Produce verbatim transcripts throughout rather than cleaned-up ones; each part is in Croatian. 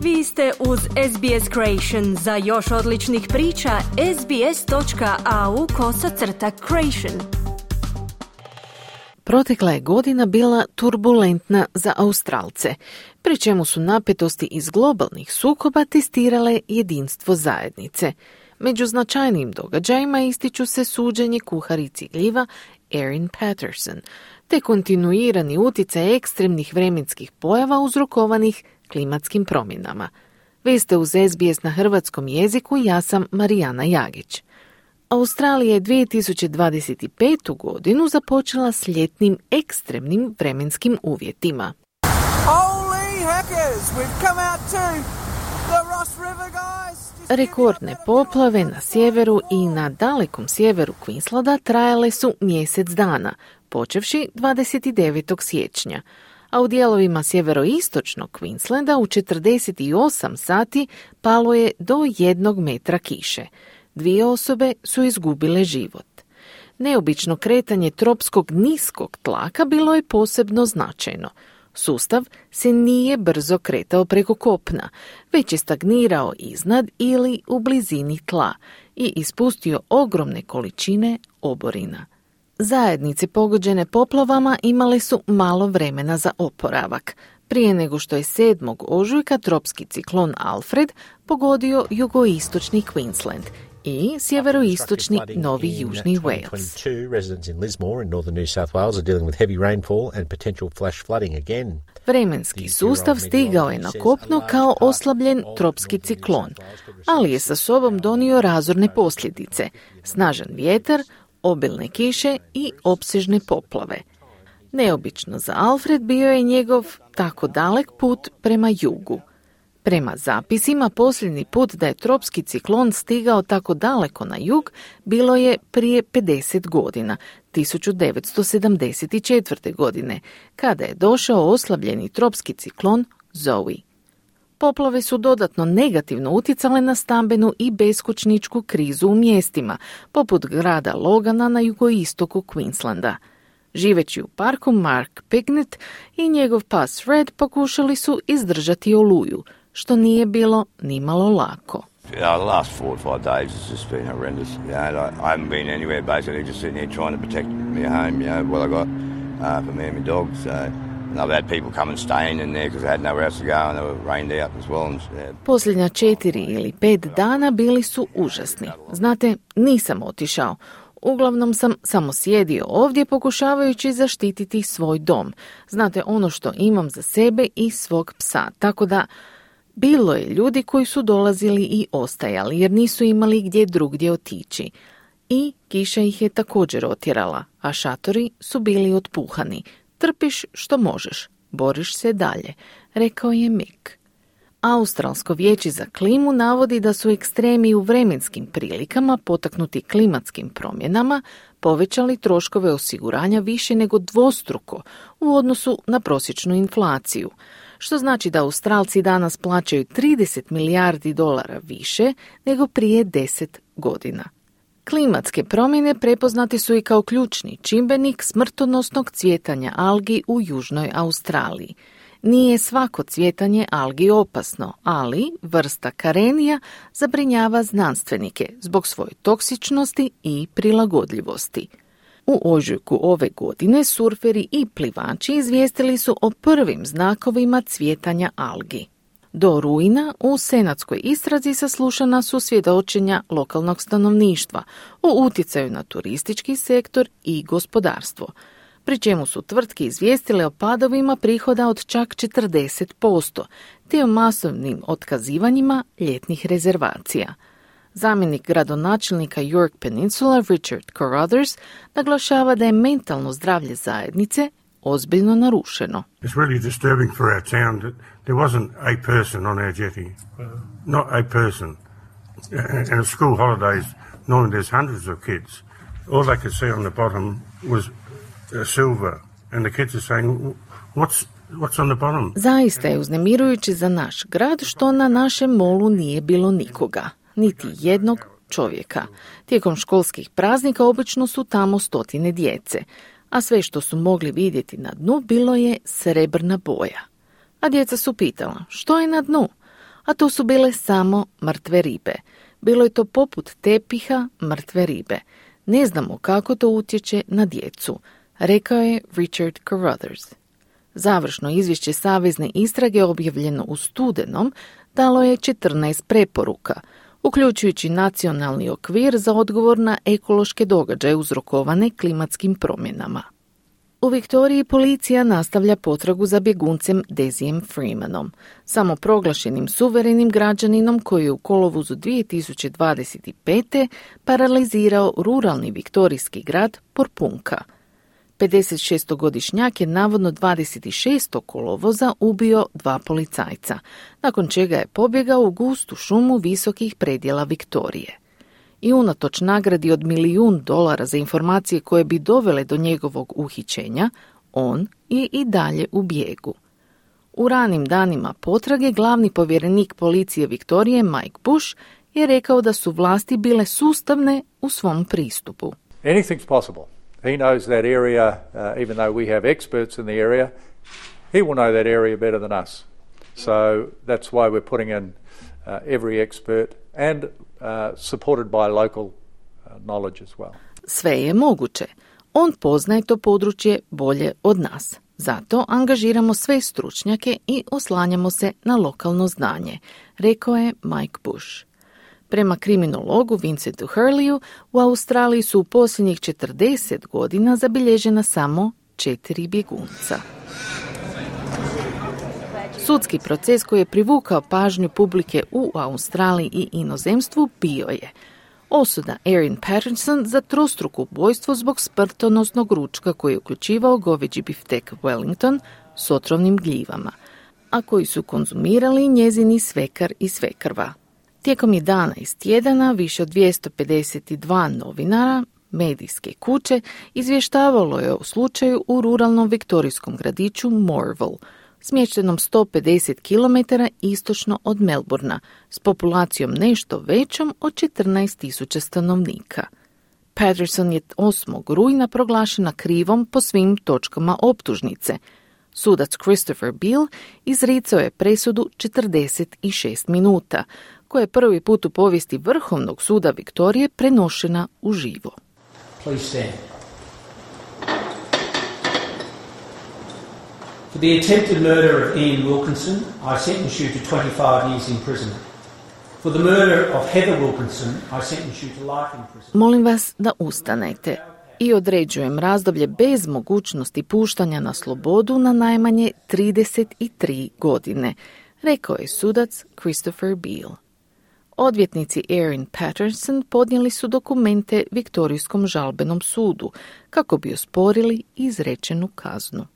Vi ste uz S B S Creation. Za još odličnih priča, sbs.au kosacrta creation. Protekla je godina bila turbulentna za Australce, pri čemu su napetosti iz globalnih sukoba testirale jedinstvo zajednice. Među značajnijim događajima ističu se suđenje kuharici gljiva Erin Patterson, te kontinuirani utjecaj ekstremnih vremenskih pojava uzrokovanih klimatskim promjenama. Vi ste uz S B S na hrvatskom jeziku, ja sam Marijana Jagić. Australija je dvije tisuće dvadeset petu. godinu započela s ljetnim ekstremnim vremenskim uvjetima. Holy heckers, we've come out to the Ross River, guys. Rekordne poplave na sjeveru i na dalekom sjeveru Queenslanda trajale su mjesec dana, počevši dvadeset devetog siječnja, a u dijelovima sjeveroistočnog Queenslanda u četrdeset osam sati palo je do jednog metra kiše. Dvije osobe su izgubile život. Neobično kretanje tropskog niskog tlaka bilo je posebno značajno. Sustav se nije brzo kretao preko kopna, već je stagnirao iznad ili u blizini tla i ispustio ogromne količine oborina. Zajednice pogođene poplavama imale su malo vremena za oporavak, prije nego što je sedmog ožujka tropski ciklon Alfred pogodio jugoistočni Queensland i sjeveroistočni Novi Južni Wales. Vremenski sustav stigao je na kopno kao oslabljen tropski ciklon, ali je sa sobom donio razorne posljedice, snažan vjetar, obilne kiše i opsežne poplave. Neobično za Alfred bio je njegov tako dalek put prema jugu. Prema zapisima, posljednji put da je tropski ciklon stigao tako daleko na jug bilo je prije pedeset godina, tisuću devetsto sedamdeset četvrte. godine, kada je došao oslabljeni tropski ciklon Zoe. Poplave su dodatno negativno utjecale na stambenu i beskućničku krizu u mjestima, poput grada Logana na jugoistoku Queenslanda. Živeći u parku, Mark Pignett i njegov pas Red pokušali su izdržati oluju, što nije bilo nimalo lako. Yeah, the last four or five days has just been horrendous. Yeah, I, I haven't been anywhere, basically just sitting here trying to protect my home, you know, what I got uh, for me and my dog. So, and I've had people come and staying in there because they had nowhere else to go and they were rained out as well. And, yeah. Posljednja četiri ili pet dana bili su užasni. Znate, nisam otišao. Uglavnom sam samo sjedio ovdje pokušavajući zaštititi svoj dom. Znate, ono što imam za sebe i svog psa, tako da bilo je ljudi koji su dolazili i ostajali jer nisu imali gdje drugdje otići. I kiša ih je također otjerala, a šatori su bili otpuhani. Trpiš što možeš, boriš se dalje, rekao je Mick. Australsko vijeće za klimu navodi da su ekstremi u vremenskim prilikama potaknuti klimatskim promjenama povećali troškove osiguranja više nego dvostruko u odnosu na prosječnu inflaciju, što znači da Australci danas plaćaju trideset milijardi dolara više nego prije deset godina. Klimatske promjene prepoznate su i kao ključni čimbenik smrtonosnog cvjetanja algi u Južnoj Australiji. Nije svako cvjetanje algi opasno, ali vrsta karenija zabrinjava znanstvenike zbog svoje toksičnosti i prilagodljivosti. U ožujku ove godine surferi i plivači izvijestili su o prvim znakovima cvjetanja algi. Do rujna u senatskoj istrazi saslušana su svjedočenja lokalnog stanovništva o utjecaju na turistički sektor i gospodarstvo, pri čemu su tvrtke izvijestile o padovima prihoda od čak četrdeset posto, te o masovnim otkazivanjima ljetnih rezervacija. Zamjenik gradonačelnika York Peninsula Richard Carruthers naglašava da je mentalno zdravlje zajednice ozbiljno narušeno. It's really disturbing for our town that there wasn't a person on our jetty. Not a person. And at school holidays, normally there's hundreds of kids. All they could see on the bottom was silver. And the kids are saying, what's What's on the bottom? Zaista je uznemirujuće za naš grad što na našem molu nije bilo nikoga, niti jednog čovjeka. Tijekom školskih praznika obično su tamo stotine djece, a sve što su mogli vidjeti na dnu bilo je srebrna boja. A djeca su pitala, što je na dnu? a to su bile samo mrtve ribe. Bilo je to poput tepiha mrtve ribe. Ne znamo kako to utječe na djecu, rekao je Richard Carruthers. Završno izvješće savezne istrage objavljeno u studenom dalo je četrnaest preporuka, uključujući nacionalni okvir za odgovor na ekološke događaje uzrokovane klimatskim promjenama. U Viktoriji policija nastavlja potragu za bjeguncem Dezijem Freemanom, samoproglašenim suverenim građaninom koji je u kolovozu dvije tisuće dvadeset pete paralizirao ruralni viktorijski grad Porpunka. pedesetšestogodišnjak je navodno dvadeset šestog kolovoza ubio dva policajca, nakon čega je pobjegao u gustu šumu visokih predjela Viktorije. I unatoč nagradi od milijun dolara za informacije koje bi dovele do njegovog uhićenja, on je i dalje u bijegu. U ranim danima potrage glavni povjerenik policije Viktorije Mike Bush je rekao da su vlasti bile sustavne u svom pristupu. Anything's possible. He knows that area, uh, even though we have experts in the area, he will know that area better than us. So that's why we're putting in uh, every expert and uh, supported by local uh, knowledge as well. Sve je moguće. On poznaje to područje bolje od nas. Zato angažiramo sve stručnjake i oslanjamo se na lokalno znanje, rekao je Mike Bush. Prema kriminologu Vincentu Hurleyu, u Australiji su u posljednjih četrdeset godina zabilježena samo četiri bjegunca. Sudski proces koji je privukao pažnju publike u Australiji i inozemstvu bio je osuda Erin Patterson za trostruko ubojstvo zbog smrtonosnog ručka koji je uključivao goveđi biftek Wellington s otrovnim gljivama, a koji su konzumirali njezini svekar i svekrva. Tijekom jedanaest tjedana više od dvjesto pedeset dva novinara medijske kuće izvještavalo je o slučaju u ruralnom viktorijskom gradiću Morville, smještenom sto pedeset kilometara istočno od Melbourna, s populacijom nešto većom od četrnaest tisuća stanovnika. Patterson je osmog rujna proglašena krivom po svim točkama optužnice. Sudac Christopher Beale izricao je presudu četrdeset šest minuta, koja je prvi put u povijesti Vrhovnog suda Viktorije prenošena uživo. Please stand. For the attempted murder of Ian Wilkinson, I sentence you to twenty-five years imprisonment. For the murder of Heather Wilkinson, I sentence you to life imprisonment. Molim vas da ustanete i određujem razdoblje bez mogućnosti puštanja na slobodu na najmanje trideset tri godine, rekao je sudac Christopher Beale. Odvjetnici Erin Patterson podnijeli su dokumente Viktorijskom žalbenom sudu kako bi osporili izrečenu kaznu.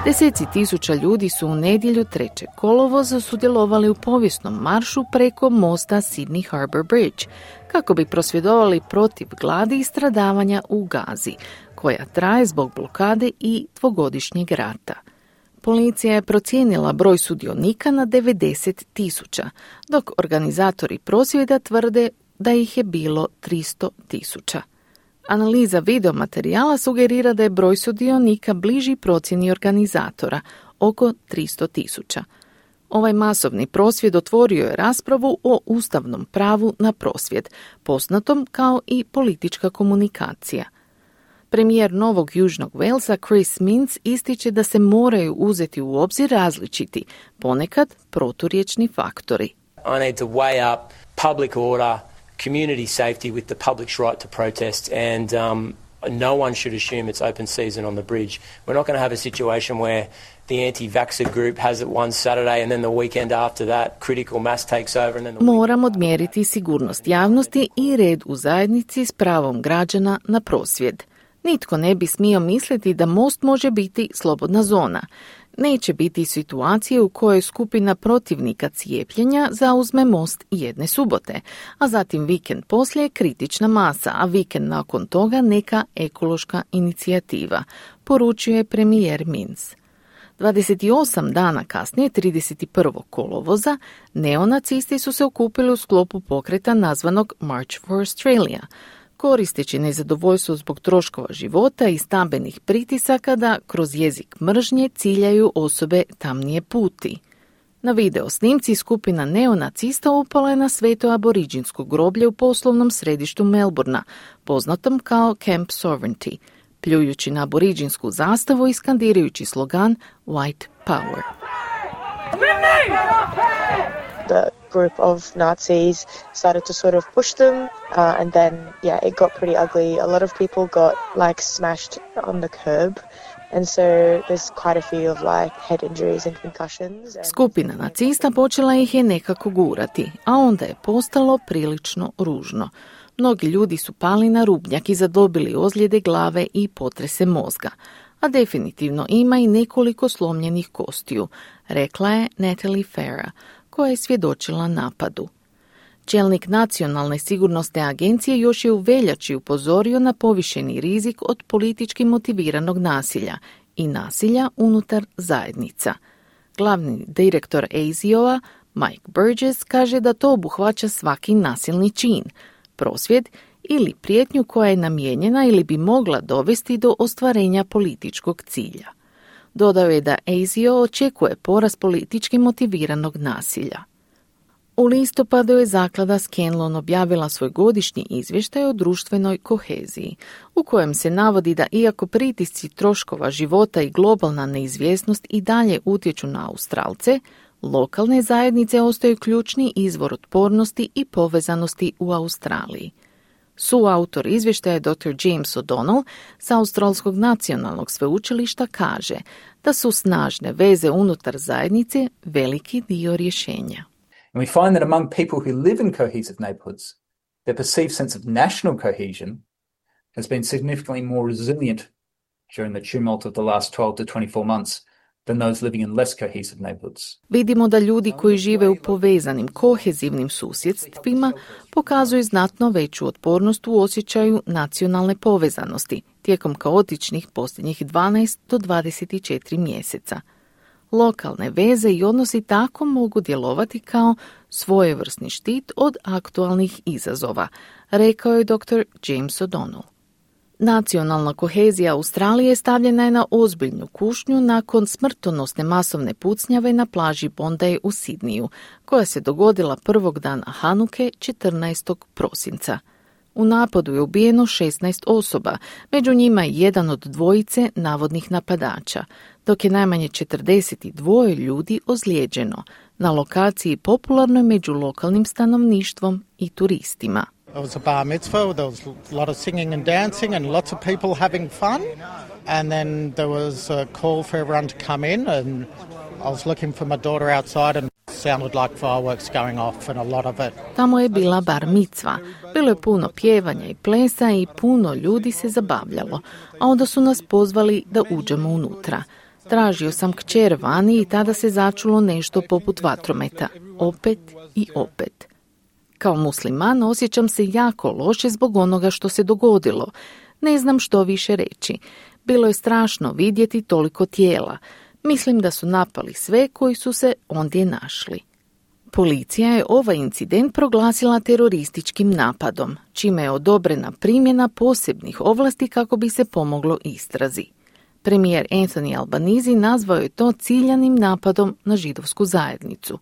Deseci tisuća ljudi su u nedjelju trećeg kolovoza sudjelovali u povijesnom maršu preko mosta Sydney Harbour Bridge kako bi prosvjedovali protiv gladi i stradavanja u Gazi, koja traje zbog blokade i dvogodišnjeg rata. Policija je procijenila broj sudionika na devedeset tisuća, dok organizatori prosvjeda tvrde da ih je bilo tristo tisuća. Analiza videomaterijala sugerira da je broj sudionika bliži procjeni organizatora, oko tristo tisuća. Ovaj masovni prosvjed otvorio je raspravu o ustavnom pravu na prosvjed, poznatom kao i politička komunikacija. Premijer Novog Južnog Walesa Chris Minns ističe da se moraju uzeti u obzir različiti, ponekad proturječni faktori. I need to weigh up public order, community safety with the public's right to protest, and um, no one should assume it's open season on the bridge. We're not going to have a situation where the anti-vaxxer group has it one Saturday and then the weekend after that critical mass takes over and then the Moram odmjeriti sigurnost javnosti i red u zajednici s pravom građana na prosvjed. Nitko ne bi smio misliti da most može biti slobodna zona. Neće biti situacije u kojoj skupina protivnika cijepljenja zauzme most jedne subote, a zatim vikend poslije kritična masa, a vikend nakon toga neka ekološka inicijativa, poručuje premijer Minns. dvadeset osam dana kasnije, trideset prvog kolovoza, neonacisti su se okupili u sklopu pokreta nazvanog March for Australia, koristeći nezadovoljstvo zbog troškova života i stambenih pritisaka da kroz jezik mržnje ciljaju osobe tamnije puti. Na video snimci skupina neonacista upala je na sveto aboriđinsko groblje u poslovnom središtu Melbourna, poznatom kao Camp Sovereignty, pljujući na aboriđinsku zastavu i skandirajući slogan White Power. The group of Nazis started to sort of push them, uh, and then, yeah, it got pretty ugly. A lot of people got, like, smashed on the curb, and so there's quite a few of, like, head injuries and concussions. And... Skupina nacista počela ih je nekako gurati, a onda je postalo prilično ružno. Mnogi ljudi su pali na rubnjak i zadobili ozljede glave i potrese mozga, a definitivno ima i nekoliko slomljenih kostiju, rekla je Natalie Farah, koja je svjedočila napadu. Čelnik Nacionalne sigurnosne agencije još je u veljači upozorio na povišeni rizik od politički motiviranog nasilja i nasilja unutar zajednica. Glavni direktor A S I O-a, Mike Burgess, kaže da to obuhvaća svaki nasilni čin, prosvjed ili prijetnju koja je namijenjena ili bi mogla dovesti do ostvarenja političkog cilja. Dodao je da A S I O očekuje porast politički motiviranog nasilja. U listopadu je zaklada Scanlon objavila svoj godišnji izvještaj o društvenoj koheziji, u kojem se navodi da iako pritisci troškova života i globalna neizvjesnost i dalje utječu na Australce, lokalne zajednice ostaju ključni izvor otpornosti i povezanosti u Australiji. Suautor izvještaja doktor James O'Donnell sa Australskog nacionalnog sveučilišta kaže da su snažne veze unutar zajednice veliki dio rješenja. And we find that among people who live in cohesive neighbourhoods, their perceived sense of national cohesion has been significantly more resilient during the tumult of the last twelve to twenty-four months than those living in less cohesive neighbourhoods. Vidimo da ljudi koji žive u povezanim kohezivnim susjedstvima pokazuju znatno veću otpornost u osjećaju nacionalne povezanosti tijekom kaotičnih posljednjih dvanaest do dvadeset četiri mjeseca. Lokalne veze i odnosi tako mogu djelovati kao svojevrsni štit od aktualnih izazova, rekao je doktor James O'Donnell. Nacionalna kohezija Australije stavljena je na ozbiljnu kušnju nakon smrtonosne masovne pucnjave na plaži Bondi u Sidniju, koja se dogodila prvog dana Hanuke četrnaestog prosinca. U napadu je ubijeno šesnaest osoba, među njima i jedan od dvojice navodnih napadača, dok je najmanje četrdeset dva ljudi ozlijeđeno na lokaciji popularnoj među lokalnim stanovništvom i turistima. It was a bar mitzvah, there was a lot of singing and dancing and lots of people having fun. And then there was a call for everyone to come in, and I was looking for my daughter outside and it sounded like fireworks going off and a lot of it. Tamo je bila bar micva. Bilo je puno pjevanja i plesa i puno ljudi se zabavljalo, a onda su nas pozvali da uđemo unutra. Tražio sam kćer vani i tada se začulo nešto poput vatrometa. Opet i opet. Kao musliman osjećam se jako loše zbog onoga što se dogodilo. Ne znam što više reći. Bilo je strašno vidjeti toliko tijela. Mislim da su napali sve koji su se ondje našli. Policija je ovaj incident proglasila terorističkim napadom, čime je odobrena primjena posebnih ovlasti kako bi se pomoglo istrazi. Premijer Anthony Albanese nazvao je to ciljanim napadom na židovsku zajednicu.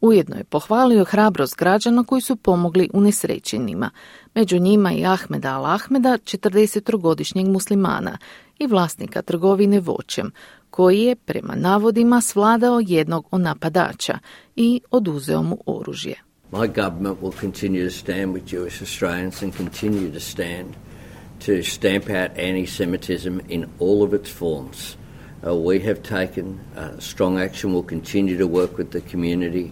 Ujedno je pohvalio hrabrost građana koji su pomogli unesrećenima, među njima i Ahmeda Al-Ahmeda, četrdesetogodišnjeg muslimana i vlasnika trgovine voćem, koji je, prema navodima, svladao jednog od napadača i oduzeo mu oružje. My government will continue to stand with Jewish Australians and continue to stand to stamp out anti-Semitism in all of its forms. Uh, we have taken uh, strong action. We'll continue to work with the community.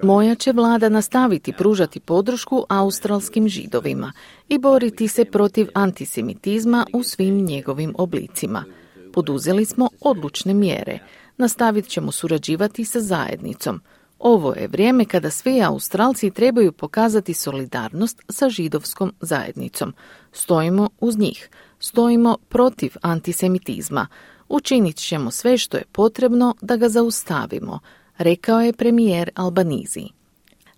Moja će vlada nastaviti pružati podršku australskim židovima i boriti se protiv antisemitizma u svim njegovim oblicima. Poduzeli smo odlučne mjere. Nastavit ćemo surađivati sa zajednicom. Ovo je vrijeme kada svi Australci trebaju pokazati solidarnost sa židovskom zajednicom. Stojimo uz njih. Stojimo protiv antisemitizma. Učinit ćemo sve što je potrebno da ga zaustavimo, rekao je premijer Albanese.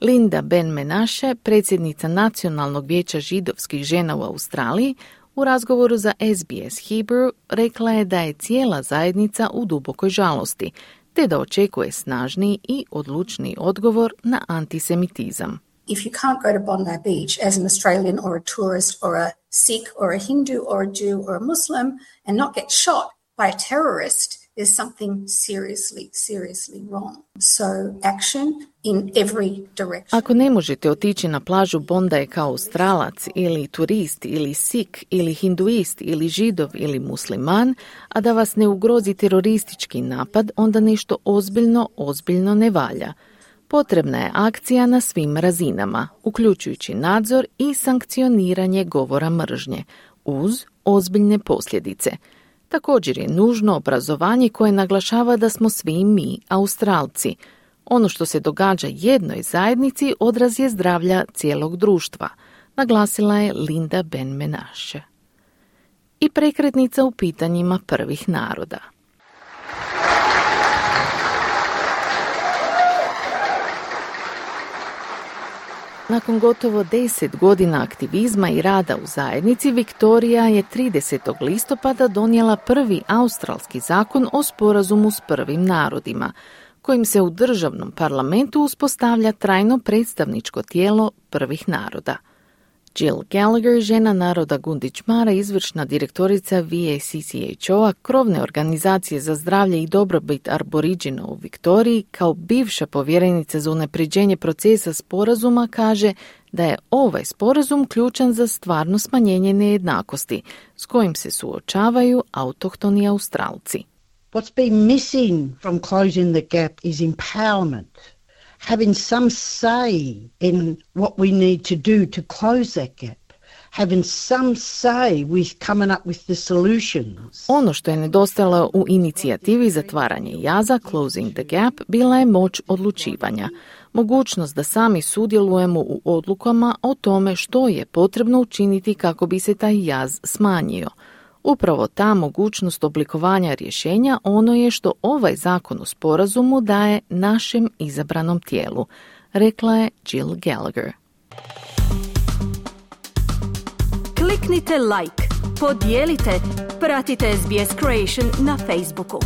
Linda Ben-Menashe, predsjednica Nacionalnog vijeća židovskih žena u Australiji, u razgovoru za S B S Hebrew rekla je da je cijela zajednica u dubokoj žalosti, te da očekuje snažniji i odlučniji odgovor na antisemitizam. If you can't go to Bondi Beach as an Australian or a tourist or a Sikh or a Hindu or a Jew or a Muslim and not get shot by a terrorist, there's something seriously, seriously wrong. So action in every direction. Ako ne možete otići na plažu Bondi kao Australac ili turist ili Sikh ili hinduist ili židov ili musliman, a da vas ne ugrozi teroristički napad, onda nešto ozbiljno, ozbiljno ne valja. Potrebna je akcija na svim razinama, uključujući nadzor i sankcioniranje govora mržnje, uz ozbiljne posljedice. Također je nužno obrazovanje koje naglašava da smo svi mi Australci. Ono što se događa jednoj zajednici odraz je zdravlja cijelog društva, naglasila je Linda Ben-Menashe. I prekretnica u pitanjima prvih naroda. Nakon gotovo deset godina aktivizma i rada u zajednici, Viktorija je tridesetog listopada donijela prvi australski zakon o sporazumu s prvim narodima, kojim se u državnom parlamentu uspostavlja trajno predstavničko tijelo prvih naroda. Jill Gallagher, žena naroda Gunditjmara, izvršna direktorica V A C C H O-a, krovne organizacije za zdravlje i dobrobit Aboriđina u Viktoriji, kao bivša povjerenica za unapređenje procesa sporazuma, kaže da je ovaj sporazum ključan za stvarno smanjenje nejednakosti s kojim se suočavaju autohtoni Australci. What's been missing from closing the gap is empowerment. Having some say in what we need to do to close that gap. Having some say with coming up with the solutions. Ono što je nedostajalo u inicijativi zatvaranje jaza, Closing the Gap, bila je moć odlučivanja. Mogućnost da sami sudjelujemo u odlukama o tome što je potrebno učiniti kako bi se taj jaz smanjio. Upravo ta mogućnost oblikovanja rješenja ono je što ovaj zakon o sporazumu daje našem izabranom tijelu, rekla je Jill Gallagher. Kliknite like, podijelite, pratite S B S Creation na Facebooku.